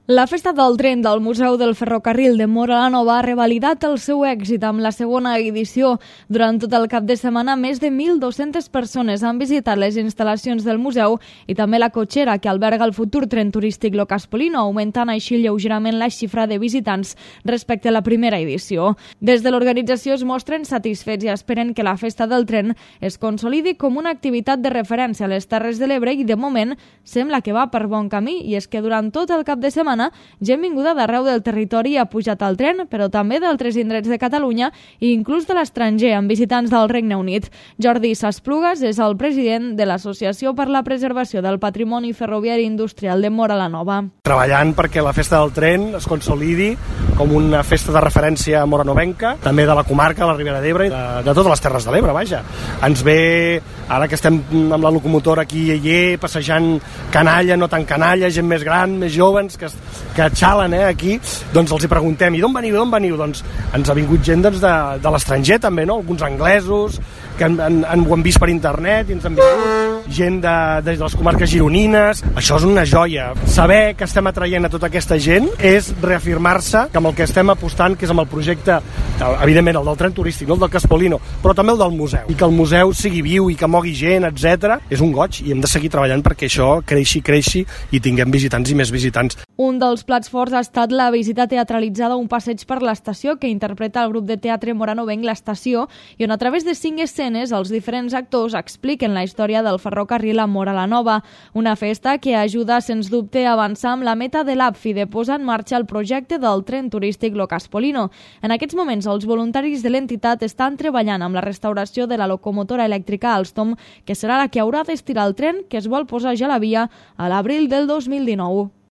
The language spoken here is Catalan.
La festa del tren del Museu del Ferrocarril de Móra la Nova ha revalidat el seu èxit amb la segona edició. Durant tot el cap de setmana, més de 1.200 persones han visitat les instal·lacions del museu i també la cotxera que alberga el futur tren turístic Lo Caspolino, augmentant així lleugerament la xifra de visitants respecte a la primera edició. Des de l'organització es mostren satisfets i esperen que la festa del tren es consolidi com una activitat de referència a les Terres de l'Ebre i, de moment, sembla que va per bon camí, i és que durant tot el cap de setmana gent vinguda d'arreu del territori ha pujat al tren, però també d'altres indrets de Catalunya i inclús de l'estranger, amb visitants del Regne Unit. Jordi Sasplugas és el president de l'Associació per la Preservació del Patrimoni Ferroviari Industrial de Móra la Nova. Treballant perquè la festa del tren es consolidi com una festa de referència moranovenca, també de la comarca, la Ribera d'Ebre i de totes les Terres de l'Ebre, vaja. Ens ve, ara que estem amb la locomotora aquí i allà, passejant canalla, no tan canalla, gent més gran, més joves, que xalen aquí, doncs els hi preguntem, i d'on veniu? Doncs ens ha vingut gent de l'estranger també, no? Alguns anglesos que ho han vist per internet, i ens han vingut gent de les comarques gironines. Això és una joia. Saber que estem atraient a tota aquesta gent és reafirmar-se que amb el que estem apostant, que és amb el projecte, evidentment el del tren turístic, no el del Caspolino, però també el del museu, i que el museu sigui viu i que mogui gent, etc. És un goig, i hem de seguir treballant perquè això creixi i tinguem visitants i més visitants. Un dels plats forts ha estat la visita teatralitzada a un passeig per l'estació que interpreta el grup de teatre moranovenc L'Estació, i on a través de 5 escenes els diferents actors expliquen la història del ferrocarril a Móra la Nova, una festa que ajuda sens dubte a avançar amb la meta de l'APFI de posar en marxa el projecte del tren turístic Lo Caspolino. En aquests moments els voluntaris de l'entitat estan treballant amb la restauració de la locomotora elèctrica Alstom, que serà la que haurà d'estirar el tren que es vol posar ja a la via a l'abril del 2019.